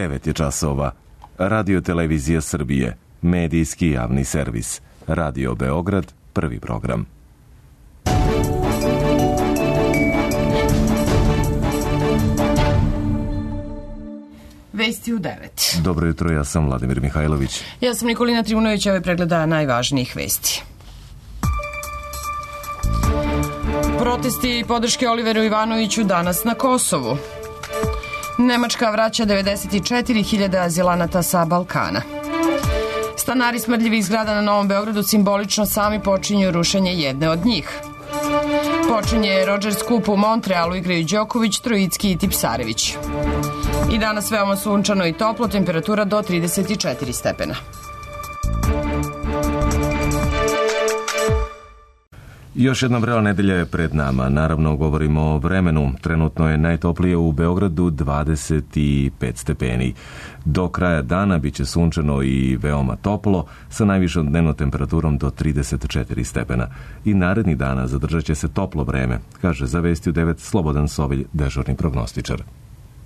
9 je časova. Radio Televizija Srbije, medijski javni servis. Radio Beograd, prvi program. Vesti u 9. Dobro jutro, ja sam Vladimir Mihajlović. Ja sam Nikolina Trivunović, ove pregleda najvažnijih vesti. Protesti i podrške Oliveru Ivanoviću danas na Kosovu. Nemačka vraća 94.000 azilanata sa Balkana. Stanari smrdljivih zgrada na Novom Beogradu simbolično sami počinju rušenje jedne od njih. Počinje Rogers Cup u Montrealu, igraju Đoković, Trojicki i Tipsarević. I danas veoma sunčano i toplo, temperatura do 34 stepena. Još jedna vrela nedelja je pred nama. Naravno, govorimo o vremenu. Trenutno je najtoplije u Beogradu 25 stepeni. Do kraja dana bit će sunčano i veoma toplo, sa najvišom dnevnom temperaturom do 34 stepena. I narednih dana zadržat će se toplo vreme, kaže za Vesti u 9 Slobodan Sovilj, dežurni prognostičar.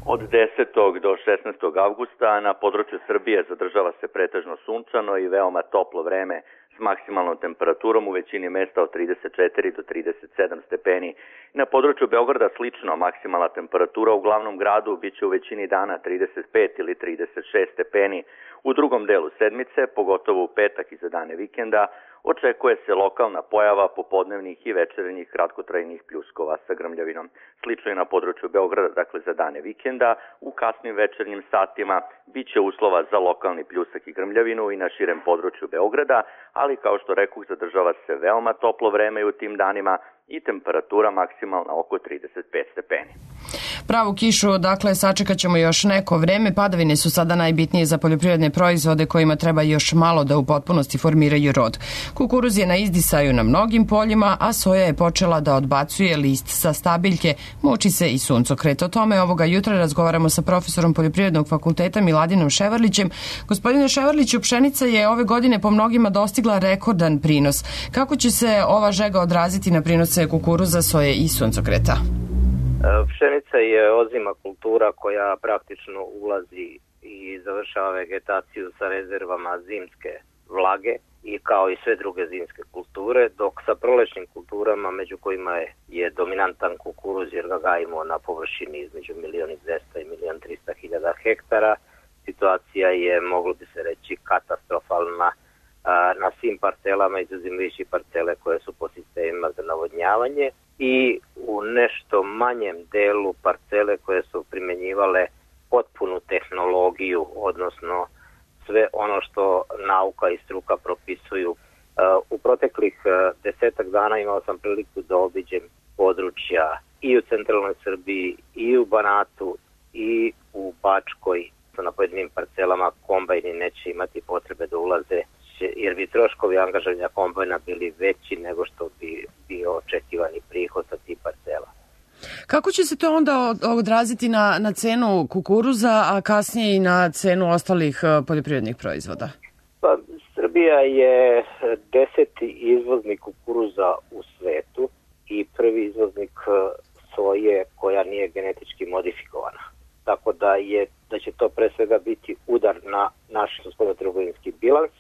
Od 10. do 16. avgusta na području Srbije zadržava se pretežno sunčano i veoma toplo vreme s maksimalnom temperaturom u većini mesta od 34 do 37 stepeni. Na području Beograda slično, maksimalna temperatura u glavnom gradu biće u većini dana 35 ili 36 stepeni. U drugom delu sedmice, pogotovo u petak i za dane vikenda, očekuje se lokalna pojava popodnevnih i večernjih kratkotrajnih pljuskova sa grmljavinom. Slično je na području Beograda, dakle za dane vikenda, u kasnim večernjim satima biće uslova za lokalni pljusak i grmljavinu i na širem području Beograda, ali kao što rekoh, zadržava se veoma toplo vreme u tim danima i temperatura maksimalna oko 35 stepeni. Pravu kišu, dakle, sačekat ćemo još neko vreme. Padavine su sada najbitnije za poljoprivredne proizvode kojima treba još malo da u potpunosti formiraju rod. Kukuruz je na izdisaju na mnogim poljima, a soja je počela da odbacuje list sa stabiljke, muči se i suncokret. O tome ovoga jutra razgovaramo sa profesorom Poljoprivrednog fakulteta Miladinom Ševarlićem. Gospodine Ševarliću, pšenica je ove godine po mnogima dostigla rekordan prinos. Kako će se ova žega odraziti na prinose kukuruza, soje i suncokreta? Pšenica je ozima kultura koja praktično ulazi i završava vegetaciju sa rezervama zimske vlage i kao i sve druge zimske kulture, dok sa prolećnim kulturama, među kojima je dominantan kukuruz jer ga gajimo na površini između 1.200.000 i 1.300.000 hektara, situacija je, moglo bi se reći, katastrofalna na svim parcelama, izuzimajući parcele koje su po sistemima za navodnjavanje i u nešto manjem delu parcele koje su primenjivale potpunu tehnologiju, odnosno sve ono što nauka i struka propisuju. U proteklih 10 dana imao sam priliku da obiđem područja i u centralnoj Srbiji, i u Banatu, i u Bačkoj. Na pojedinim parcelama kombajni neće imati potrebe da ulaze, jer bi troškovi angažovanja kombajna bili veći nego što bi bio očekivani prihod sa tih parcela. Kako će se to onda odraziti na cenu kukuruza, a kasnije i na cenu ostalih poljoprivrednih proizvoda? Pa, Srbija je 10. izvoznik kukuruza u svetu i prvi izvoznik soje koja nije genetički modifikovana. Tako da će to pre svega biti udar na naš spoljnotrgovinski bilans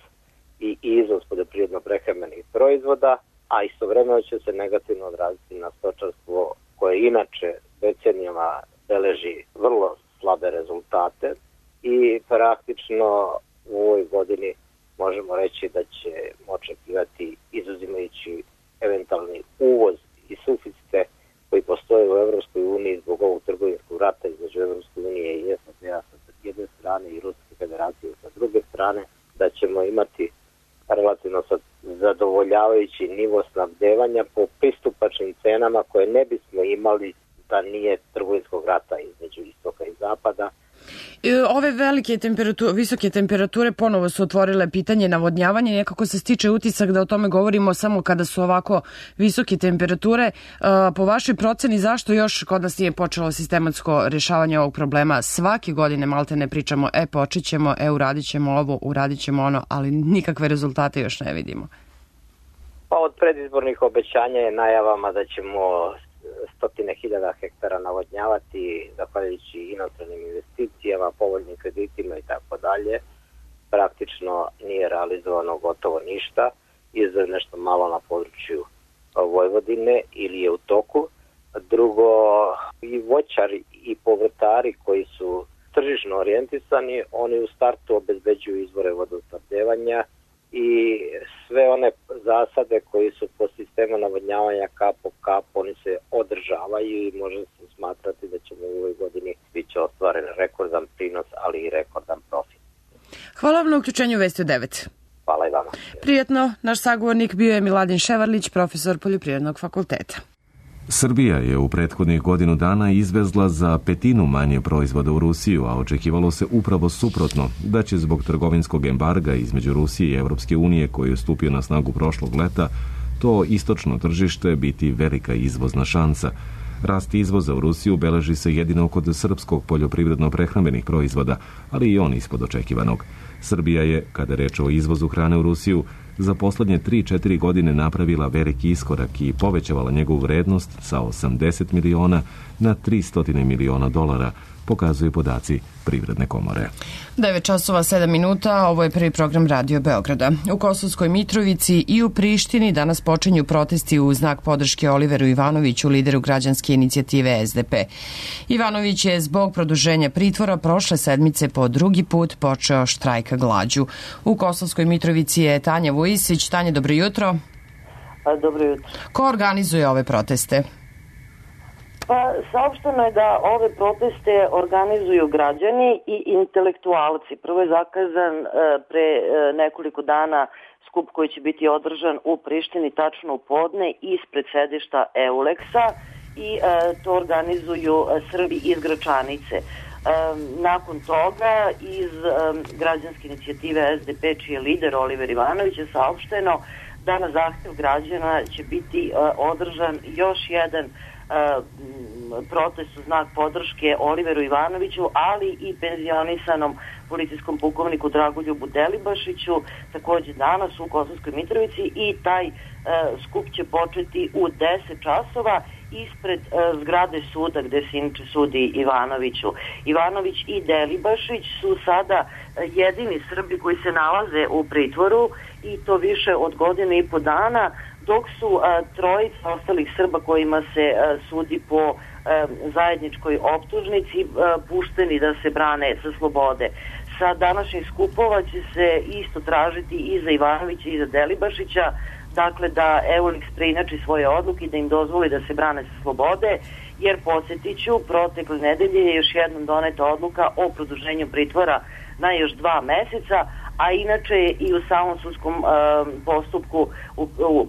i izvoz poljoprivredno-prehrambenih proizvoda, a istovremeno će se negativno odraziti na stočarstvo koje inače decenijama beleži vrlo slabe rezultate i praktično u ovoj godini možemo reći da ćemo očekivati, izuzimajući eventualni uvoz i suficite koji postoje u Evropskoj uniji zbog ovog trgovinskog rata između Evropske unije i SAD-a sa jedne strane i Ruske federacije sa druge strane, da ćemo imati relativno zadovoljavajući nivo snabdevanja po pristupačnim cenama koje ne bismo imali da nije trgovinskog rata između istoka i zapada. Ove visoke temperature ponovo su otvorile pitanje navodnjavanja i nekako se stiče utisak da o tome govorimo samo kada su ovako visoke temperature. Po vašoj proceni, zašto još kod nas nije počelo sistematsko rješavanje ovog problema? Svake godine malte ne pričamo, počet ćemo, uradit ćemo ovo, uradit ćemo ono, ali nikakve rezultate još ne vidimo. Pa od predizbornih obećanja je najavama da ćemo stotine hiljada hektara navodnjavati zahvaljujući inostranim investicijama, povoljnim kreditima i tako dalje. Praktično nije realizovano gotovo ništa, izuzev nešto malo na području Vojvodine ili je u toku. Drugo, i voćari i povrtari koji su tržišno orijentisani, oni u startu obezbeđuju izvore vodosnabdevanja i sve one zasade koji su po sistemu navodnjavanja kap po kap, oni se održavaju i može se smatrati da ćemo u ovoj godini biti ostvaren rekordan prinos, ali i rekordan profit. Hvala vam na uključenju Vesti u 9. Hvala i vama. Prijetno, naš sagovornik bio je Miladin Ševarlić, profesor Poljoprivrednog fakulteta. Srbija je u prethodnih godinu dana izvezla za 1/5 manje proizvoda u Rusiju, a očekivalo se upravo suprotno, da će zbog trgovinskog embarga između Rusije i Evropske unije koji je stupio na snagu prošlog leta, to istočno tržište biti velika izvozna šansa. Rast izvoza u Rusiju beleži se jedino kod srpskog poljoprivredno-prehrambenih proizvoda, ali i on ispod očekivanog. Srbija je, kada je reč o izvozu hrane u Rusiju, za poslednje 3-4 godine napravila veliki iskorak i povećavala njegovu vrednost sa 80 miliona na 300 miliona dolara, pokazuju podaci Privredne komore. 9:07, ovo je prvi program Radio Beograda. U Kosovskoj Mitrovici i u Prištini danas počinju protesti u znak podrške Oliveru Ivanoviću, lideru građanske inicijative SDP. Ivanović je zbog produženja pritvora prošle sedmice po drugi put počeo štrajka glađu. U Kosovskoj Mitrovici je Tanja Vujisić. Tanja, dobro jutro. Dobro jutro. Ko organizuje ove proteste? Pa saopšteno je da ove proteste organizuju građani i intelektualci. Prvo je zakazan pre nekoliko dana skup koji će biti održan u Prištini tačno u podne ispred sedišta EULEX-a i to organizuju Srbi iz Gračanice. Nakon toga iz građanske inicijative SDP, čiji je lider Oliver Ivanović, je saopšteno da na zahtev građana će biti održan još jedan protest u znak podrške Oliveru Ivanoviću, ali i penzionisanom policijskom pukovniku Dragoljubu Delibašiću, takođe danas u Kosovskoj Mitrovici, i taj skup će početi u 10 časova ispred zgrade suda gde se inače sudi Ivanoviću. Ivanović i Delibašić su sada jedini Srbi koji se nalaze u pritvoru i to više od godinu i po dana, dok su trojica ostalih Srba kojima se sudi po zajedničkoj optužnici pušteni da se brane sa slobode. Sa današnjih skupova će se isto tražiti i za Ivanovića i za Delibašića, dakle da EULEX preinači svoje odluke i da im dozvoli da se brane sa slobode, jer podsjetiću, protekle nedelje je još jednom doneta odluka o produženju pritvora na još 2 meseca, a inače je i u samom sudskom postupku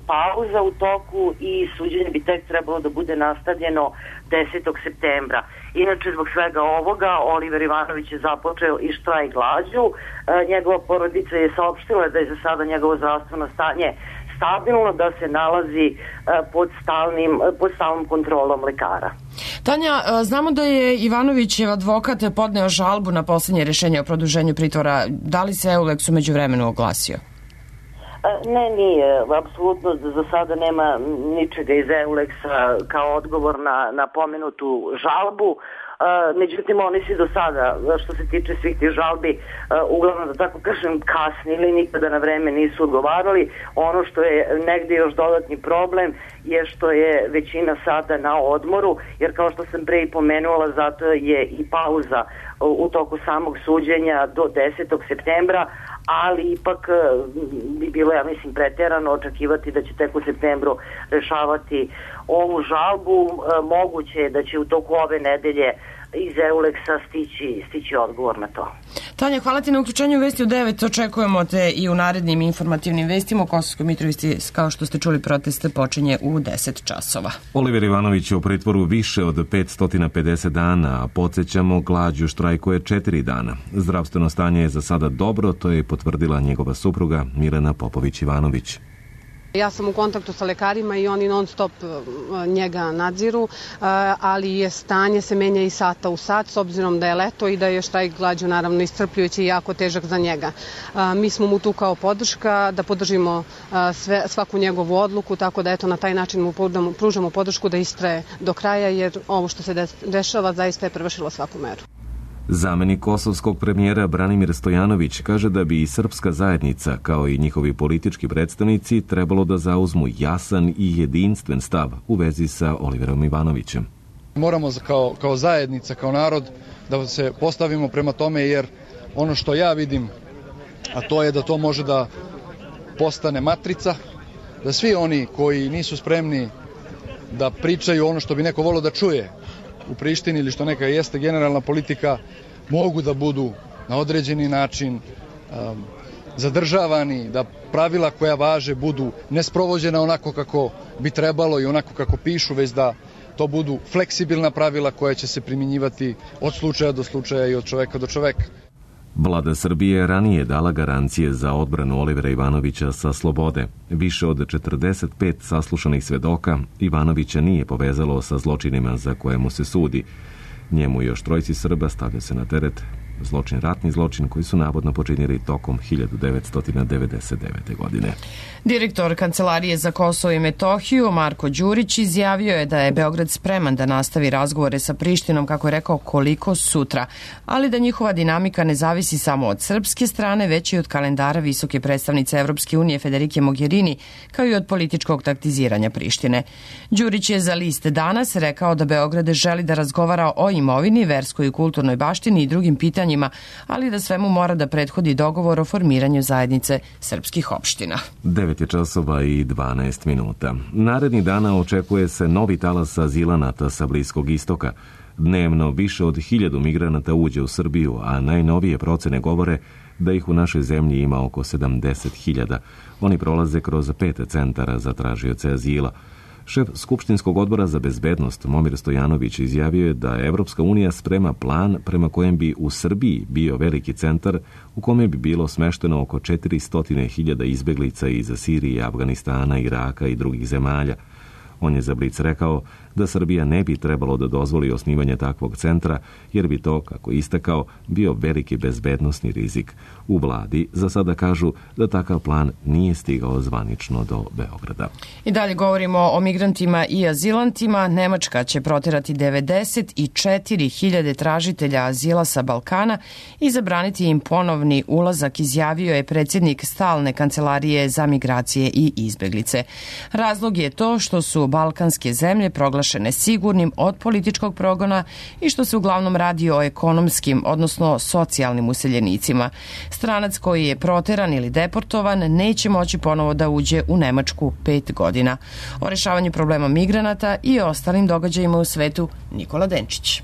pauza u toku i suđenje bi tek trebalo da bude nastavljeno 10. septembra. Inače, zbog svega ovoga, Oliver Ivanović je započeo i štrajk glađu. Njegova porodica je saopštila da je za sada njegovo zdravstveno stanje stabilno, da se nalazi pod stalnom kontrolom lekara. Tanja, znamo da je Ivanovićev advokat podneo žalbu na poslednje rešenje o produženju pritvora. Da li se EULEX umeđu vremenu oglasio? Ne, nije. Apsolutno za sada nema ničega iz EULEX-a kao odgovor na pomenutu žalbu. Međutim, oni su do sada, što se tiče svih tih žalbi, uglavnom, da tako kažem, kasnili, nikada na vreme nisu odgovarali. Ono što je negde još dodatni problem je što je većina sada na odmoru, jer kao što sam pre i pomenula, zato je i pauza u toku samog suđenja do 10. septembra, ali ipak bi bilo, ja mislim, preterano očekivati da će tek u septembru rešavati ovu žalbu. Moguće je da će u toku ove nedelje iz EULEX-a stići odgovor na to. Tanja, hvala ti na uključenju Vesti u 9. Očekujemo te i u narednim informativnim vestima. U Kosovskoj Mitrovici, kao što ste čuli, proteste počinje u 10 časova. Oliver Ivanović je u pritvoru više od 550 dana, a podsjećamo, glađu štrajkuje 4 dana. Zdravstveno stanje je za sada dobro, to je potvrdila njegova supruga Milena Popović Ivanović. Ja sam u kontaktu sa lekarima i oni non stop njega nadziru, ali je stanje se menja i sata u sat s obzirom da je leto i da je štrajk glađu naravno iscrpljujući i jako težak za njega. Mi smo mu tu kao podrška da podržimo svaku njegovu odluku, tako da eto na taj način mu pružamo podršku da istraje do kraja jer ovo što se dešava zaista je prevršilo svaku meru. Zamenik kosovskog premijera Branimir Stojanović kaže da bi i srpska zajednica, kao i njihovi politički predstavnici, trebalo da zauzmu jasan i jedinstven stav u vezi sa Oliverom Ivanovićem. Moramo kao zajednica, kao narod, da se postavimo prema tome, jer ono što ja vidim, a to je da to može da postane matrica, da svi oni koji nisu spremni da pričaju ono što bi neko volio da čuje u Prištini ili što neka jeste generalna politika, mogu da budu na određeni način zadržavani, da pravila koja važe budu nesprovođena onako kako bi trebalo i onako kako pišu, već da to budu fleksibilna pravila koja će se primjenjivati od slučaja do slučaja i od čoveka do čoveka. Vlada Srbije ranije dala garancije za odbranu Olivera Ivanovića sa slobode. Više od 45 saslušanih svedoka Ivanovića nije povezalo sa zločinima za koje mu se sudi. Njemu i još trojci Srba stavlja se na teret ratni zločin koji su navodno počinili tokom 1999. godine. Direktor Kancelarije za Kosovo i Metohiju Marko Đurić izjavio je da je Beograd spreman da nastavi razgovore sa Prištinom, kako je rekao, koliko sutra, ali da njihova dinamika ne zavisi samo od srpske strane, već i od kalendara visoke predstavnice Evropske unije Federike Mogherini, kao i od političkog taktiziranja Prištine. Đurić je za list Danas rekao da Beograd želi da razgovara o imovini, verskoj i kulturnoj baštini i drugim pitanjima, ali da svemu mora da prethodi dogovor o formiranju zajednice srpskih opština. 9 časova i 12 minuta. Narednih dana očekuje se novi talas azilanata sa Bliskog istoka. Dnevno više od 1000 migranata uđe u Srbiju, a najnovije procene govore da ih u našoj zemlji ima oko 70.000. Oni prolaze kroz 5 centara za tražioce azila. Šef Skupštinskog odbora za bezbednost Momir Stojanović izjavio je da Evropska unija sprema plan prema kojem bi u Srbiji bio veliki centar u kome bi bilo smešteno oko 400.000 izbeglica iz Sirije, Afganistana, Iraka i drugih zemalja. On je za Blic rekao da Srbija ne bi trebalo da dozvoli osnivanje takvog centra, jer bi to, kako istakao, bio veliki bezbednosni rizik. U vladi za sada kažu da takav plan nije stigao zvanično do Beograda. I dalje govorimo o migrantima i azilantima. Nemačka će proterati 94.000 tražitelja azila sa Balkana i zabraniti im ponovni ulazak, izjavio je predsjednik Stalne kancelarije za migracije i izbeglice. Razlog je to što su balkanske zemlje proglašene sigurnim od političkog progona i što se uglavnom radi o ekonomskim, odnosno socijalnim useljenicima. Stranac koji je proteran ili deportovan neće moći ponovo da uđe u Nemačku 5 godina. O rešavanju problema migranata i ostalim događajima u svetu Nikola Denčić.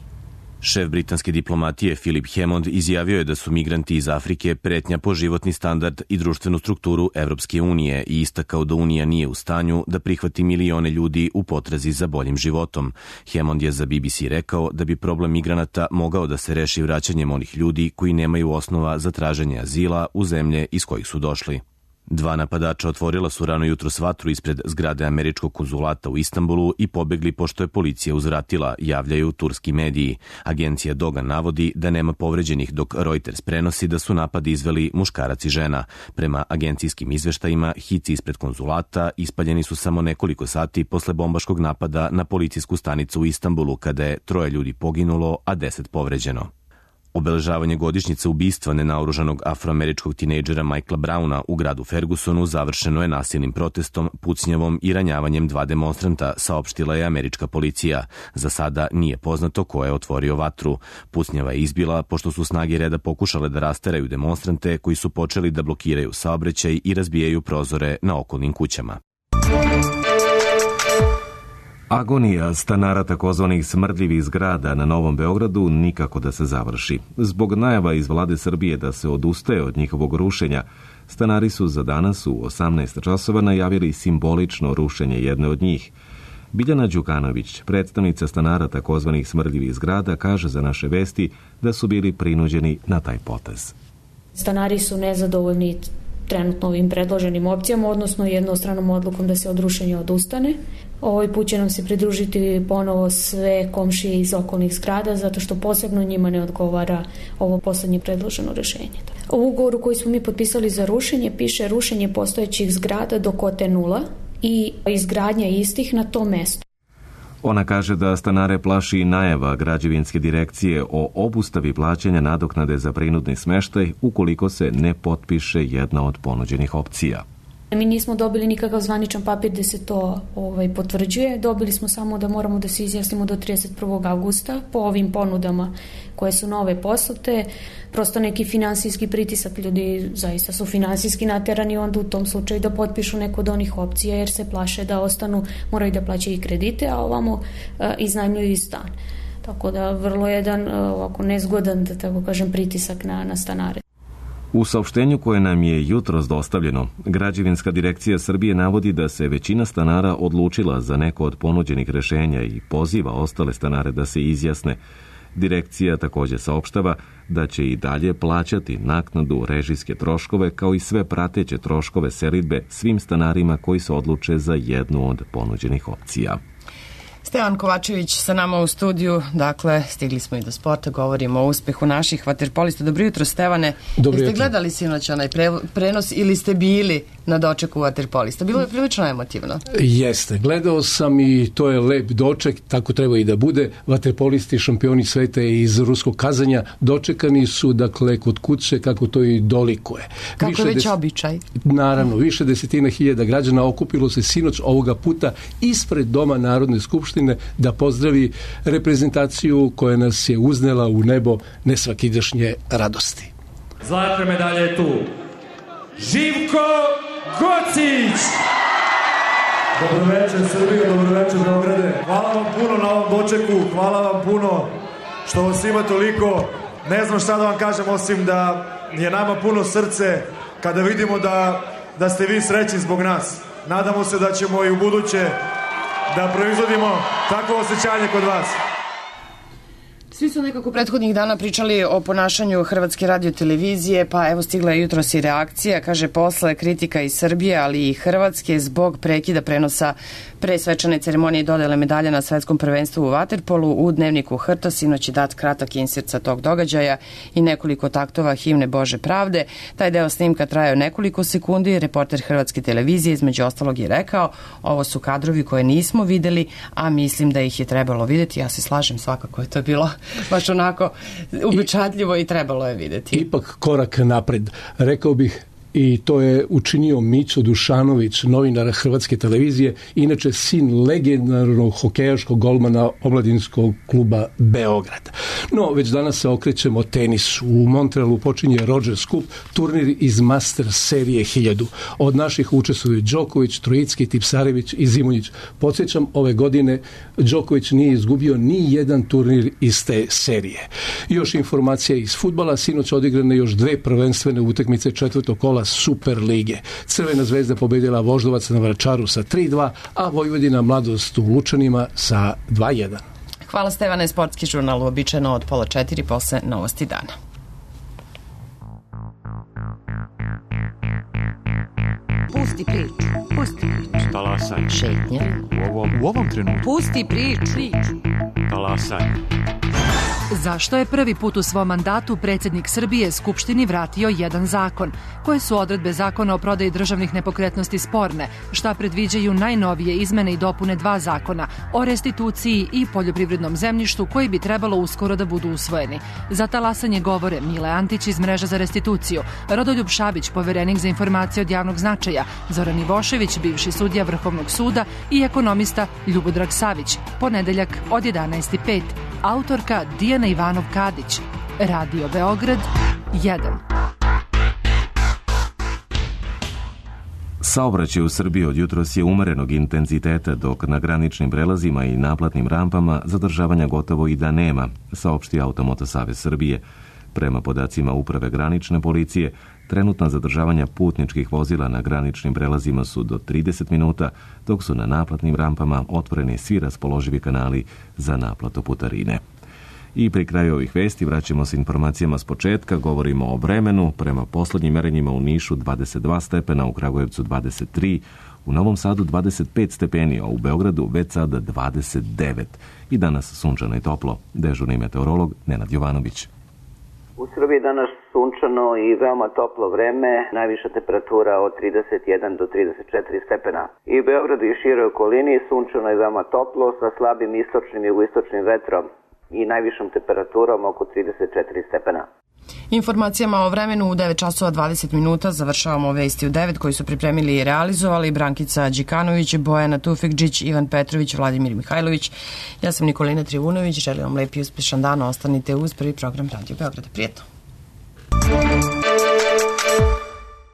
Šef britanske diplomatije Philip Hammond izjavio je da su migranti iz Afrike pretnja po životni standard i društvenu strukturu Evropske unije i istakao da Unija nije u stanju da prihvati milione ljudi u potrazi za boljim životom. Hammond je za BBC rekao da bi problem migranata mogao da se reši vraćanjem onih ljudi koji nemaju osnova za traženje azila u zemlje iz kojih su došli. 2 napadača otvorila su rano jutros vatru ispred zgrade američkog konzulata u Istanbulu i pobegli pošto je policija uzvratila, javljaju turski mediji. Agencija Doga navodi da nema povređenih, dok Reuters prenosi da su napad izveli muškarac i žena. Prema agencijskim izveštajima, hici ispred konzulata ispaljeni su samo nekoliko sati posle bombaškog napada na policijsku stanicu u Istanbulu, kada je 3 ljudi poginulo, a 10 povređeno. Obeležavanje godišnjice ubistva nenaoružanog afroameričkog tinejdžera Michaela Browna u gradu Fergusonu završeno je nasilnim protestom, pucnjavom i ranjavanjem 2 demonstranta, saopštila je američka policija. Za sada nije poznato ko je otvorio vatru. Pucnjava je izbila pošto su snage reda pokušale da rasteraju demonstrante koji su počeli da blokiraju saobraćaj i razbijaju prozore na okolnim kućama. Agonija stanara takozvanih smrdljivih zgrada na Novom Beogradu nikako da se završi. Zbog najava iz vlade Srbije da se odustaje od njihovog rušenja, stanari su za danas u 18 časova najavili simbolično rušenje jedne od njih. Biljana Đukanović, predstavnica stanara takozvanih smrdljivih zgrada, kaže za naše vesti da su bili prinuđeni na taj potez. Stanari su nezadovoljni trenutno ovim predloženim opcijama, odnosno jednostranom odlukom da se od rušenja odustane. Ovaj put će nam se pridružiti ponovo sve komšije iz okolnih zgrada, zato što posebno njima ne odgovara ovo poslednje predloženo rešenje. U ugovoru koji smo mi potpisali za rušenje piše rušenje postojećih zgrada do kote 0 i izgradnja istih na tom mestu. Ona kaže da stanare plaši i najava građevinske direkcije o obustavi plaćanja nadoknade za prinudni smeštaj ukoliko se ne potpiše jedna od ponuđenih opcija. Mi nismo dobili nikakav zvaničan papir da se to potvrđuje. Dobili smo samo da moramo da se izjasnimo do 31. avgusta po ovim ponudama koje su nove poslate. Prosto neki finansijski pritisak, ljudi zaista su finansijski naterani onda u tom slučaju da potpišu neko od onih opcija jer se plaše da ostanu, moraju da plaćaju i kredite, a ovamo iznajmljuju i stan. Tako da vrlo jedan ovako nezgodan, da tako kažem, pritisak na stanare. U saopštenju koje nam je jutros dostavljeno, Građevinska direkcija Srbije navodi da se većina stanara odlučila za neko od ponuđenih rešenja i poziva ostale stanare da se izjasne. Direkcija također saopštava da će i dalje plaćati naknadu režijske troškove kao i sve prateće troškove selidbe svim stanarima koji se odluče za jednu od ponuđenih opcija. Stevan Kovačević sa nama u studiju, dakle, stigli smo i do sporta, govorimo o uspehu naših vaterpolista. Dobro jutro, Stevane. Jeste gledali sinoć onaj prenos ili ste bili na dočeku vaterpolista? Bilo je prilično emotivno. Jeste, gledao sam i to je lep doček, tako treba i da bude. Vaterpolisti, šampioni sveta iz ruskog Kazanja, dočekani su, dakle, kod kuće, kako to i dolikuje. Kako već običaj. Naravno, više desetina hiljada građana okupilo se sinoć ovoga puta ispred Doma Narodne skupštine da pozdravi reprezentaciju koja nas je uznela u nebo nesvakidašnje radosti. Zlatna medalja je tu. Živko Gocić! Dobro večer Srbijo, dobro večer Beograde. Hvala vam puno na ovom dočeku, hvala vam puno što vas ima toliko. Ne znam šta da vam kažem osim da je nama puno srce kada vidimo da ste vi srećni zbog nas. Nadamo se da ćemo i u buduće da proizvodimo takvo osjećanje kod vas. Svi su nekako prethodnih dana pričali o ponašanju Hrvatske radiotelevizije, pa evo stigla je jutros i reakcija, kaže posle kritika iz Srbije, ali i Hrvatske zbog prekida prenosa pre svečane ceremonije dodele medalja na svetskom prvenstvu u vaterpolu. U dnevniku Hrta sinoć je dat kratak insert sa tog događaja i nekoliko taktova himne Bože pravde. Taj deo snimka trajao nekoliko sekundi. Reporter Hrvatske televizije između ostalog je rekao, ovo su kadrovi koje nismo videli, a mislim da ih je trebalo videti. Ja se slažem, svakako je to bilo baš onako upečatljivo i trebalo je videti. Ipak korak napred, rekao bih, i to je učinio Mićo Dušanović, novinar Hrvatske televizije, inače sin legendarnog hokejaškog golmana omladinskog kluba Beograd. No, već danas se okrećemo tenisu. U Montrealu počinje Rogers Cup, turnir iz Master serije 1000. Od naših učestvuju Đoković, Trojicki, Tipsarević i Zimonjić. Podsjećam, ove godine Đoković nije izgubio ni jedan turnir iz te serije. Još informacija iz fudbala, sinoć odigrane još dve prvenstvene utakmice četvrtog kola Super lige. Crvena zvezda pobedila Voždovac na Vračaru sa 3-2, a Vojvodina Mladost u Lučanima sa 2-1. Hvala Stevane, sportski žurnal uobičajeno od 3:30 posle novosti dana. Pusti priču. Talasaj. Šetnja. U ovom trenutku. Pusti priču. Talasaj. Zašto je prvi put u svom mandatu predsjednik Srbije Skupštini vratio jedan zakon? Koje su odredbe zakona o prodaji državnih nepokretnosti sporne? Šta predviđaju najnovije izmene i dopune dva zakona o restituciji i poljoprivrednom zemljištu koji bi trebalo uskoro da budu usvojeni? Za talasanje govore Mile Antić iz Mreža za restituciju, Rodoljub Šabić, poverenik za informacije od javnog značaja, Zoran Ivošević, bivši sudija Vrhovnog suda i ekonomista Ljubodrag Savić. Ponedeljak od 11:05. Autorka Dijana Ivanov-Kadić. Radio Beograd 1. Saobraćaj u Srbiji od jutros je umerenog intenziteta, dok na graničnim prelazima i naplatnim rampama zadržavanja gotovo i da nema, saopšti Automoto Savez Srbije. Prema podacima Uprave granične policije, trenutna zadržavanja putničkih vozila na graničnim prelazima su do 30 minuta, dok su na naplatnim rampama otvoreni svi raspoloživi kanali za naplatu putarine. I pri kraju ovih vesti vraćamo se informacijama s početka, govorimo o vremenu, prema poslednjim merenjima u Nišu 22 stepena, u Kragujevcu 23, u Novom Sadu 25 stepeni, a u Beogradu već sada 29. I danas sunčano i toplo. Dežurni meteorolog Nenad Jovanović. U Srbiji danas sunčano i veoma toplo vreme, najviša temperatura od 31 do 34 stepena. I u Beogradu i široj okolini sunčano i veoma toplo sa slabim istočnim i jugoistočnim vetrom i najvišom temperaturom oko 34 stepena. Informacijama o vremenu u 9 časova 20 minuta završavamo vesti u 9 koji su pripremili i realizovali Brankica Đikanović, Bojana Tufekđić, Ivan Petrović, Vladimir Mihajlović. Ja sam Nikolina Trivunović, želim vam lep i uspešan dan, ostanite uz prvi program Radio Beograda. Prijetno!